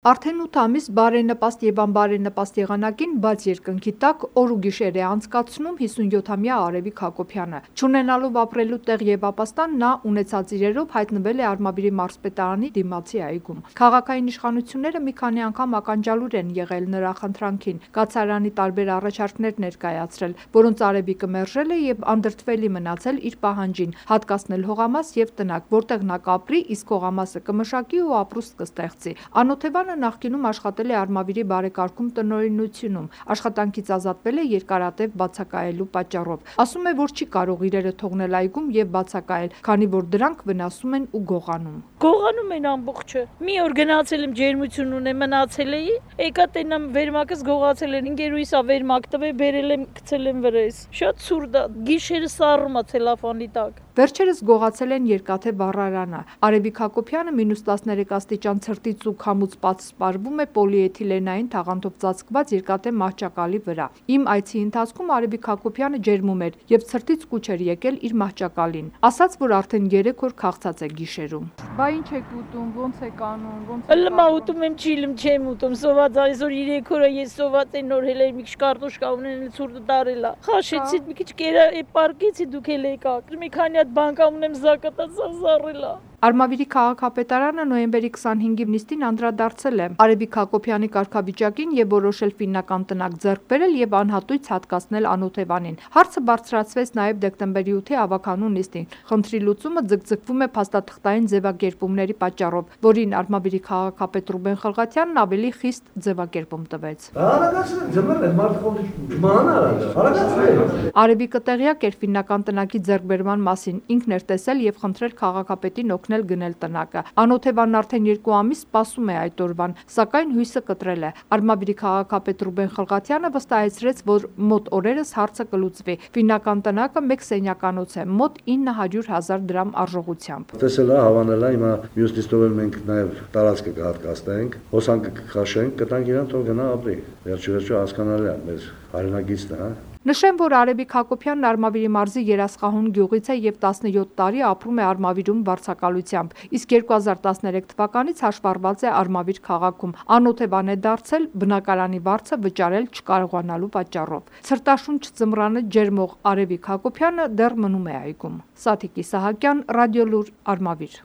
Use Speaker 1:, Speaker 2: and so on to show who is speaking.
Speaker 1: Արդեն 8 ամիս բարենպաստ և անբարենպաստ եղանակին բաց երկնքի տակ օր ու գիշեր է անցկացնում 57-ամյա Արևիկ Հակոբյանը: Չունենալով ապրելու տեղ և ապաստան, նա ունեցած իրերով հայտնվել է Արմավիրի մարզպետարանի դիմացի այգում: Քաղաքային իշխանությունները մի քանի անգամ ականջալուր են եղել նրա խնդրանքին, կացարանի տարբեր առաջարկներ ներկայացրել, որոնց Արևիկը մերժել է և անդրդվելի մնացել իր պահանջին՝ հատկացնել հողամաս և տնակ, որտեղ նա կապրի, իսկ հողամասը կմշակի ու ապրուստ կստեղծի: Անօթևանը նախկինում աշխատել է Արմավիրի բարեկարգում տնօրինությունում, աշխատանքից ազատվել է երկարատև բացակայելու պատճառով: Ասում է, որ չի կարող իրերը թողնել այգում և բացակայել, քանի որ դրանք վնասում են ու գողանում:
Speaker 2: Գողանում են ամբողջը: Մի օր գնացել եմ ջերմություն ունեմ, մնացել էի, եկա տենամ վերմակս գողացել են, ընկերուհիս ա վերմակ տվել, բերել եմ գցել եմ վրայս: Շատ ցուրտ ա, գիշերը սառում ա ցելոֆանի տակ:
Speaker 1: Վերջերս գողացել են երկաթե վառարանը: Արևիկ Հակոբյանը -13 աստիճան ցրտից ու քամուց սպառվում է պոլիէթիլենային թաղանթով ծածկված երկաթե մահճակալի վրա: Իմ այցի ընթացքում Արևիկ Հակոբյանը ջերմում էր և ցրտից կուչ էր եկել իր մահճակալին: Ասաց, որ արդեն 3 օր քաղցած է գիշերում:
Speaker 3: Բա ինչ եք ուտում, ոնց եք անում:
Speaker 2: Ըլմա ուտում եմ, չիլմ չեմ ուտում, սոված ա, այսօր 3 օր ա ես սոված եմ, նոր հելել մի քիչ կարտոշկա ունեն, ցուրտը տարել ա, խաշեցի, մի քիչ կերա պառկեցի, դուք էլ եկաք, մի քանի հատ բան կա ունեմ զակատած, զառել ա:
Speaker 1: Արմավիրի քաղաքապետարանը նոյեմբերի 25-ի նիստին անդրադարձել է Արևիկ Հակոբյանի կարգավիճակին և որոշել ֆիննական տնակ ձեռք բերել և անհատույց հատկացնել Անօթևանին: Հարցը բարձրացվեց նաև դեկտեմբերի 8-ի ավագանու նիստին: Խնդրի լուծումը ձգձգվում է փաստաթղթային ձևակերպումների պատճառով, որին Արմավիրի քաղաքապետ Ռուբեն Խլղաթյանն ավելի խիստ ձևակերպում տվեց: Արևիկը տեղյակ էր ֆիննական տնակի ձեռքբերման մասին, ինքն էր տեսել և խնդրել քաղաքապետին օգնել գնել տնակը: Անօթևանն արդեն 2 ամիս սպասում է այդ օրվան, սակայն հույսը կտրել է: Արմավիրի քաղաքապետ Ռուբեն Խլղաթյանը վստահեցրեց, որ մոտ օրերս հարցը կլուծվի: Ֆիննական տնակը մեկ սենյականոց է, մոտ 900,000 դրամ արժողությամբ:
Speaker 4: Տեսել ա, հավանել ա, հիմա մյուս նիստով էլ մենք նաև տարածքը կհատկացնենք, հոսանքը կքաշենք, կտանք իրան, թող գնա ապրի: Վերջիվերջո հասկանալի ա, մեր հայրենագիծն է:
Speaker 1: Նշեմ, որ Արևիկ Հակոբյանն Արմավիրի մարզի Երասխահուն գյուղից է և 17 տարի ապրում է Արմավիրում վարձակալությամբ, իսկ 2013 թվականից հաշվառված է Արմավիր քաղաքում: Անօթևան է դարձել բնակարանի վարձը վճարել չկարողանալու պատճառով: Ցրտաշունչ ձմռանը ջերմող Արևիկ Հակոբյանը դեռ մնում է այգում: Սաթիկ Իսահակյան, Ռադիոլուր, Արմավիր: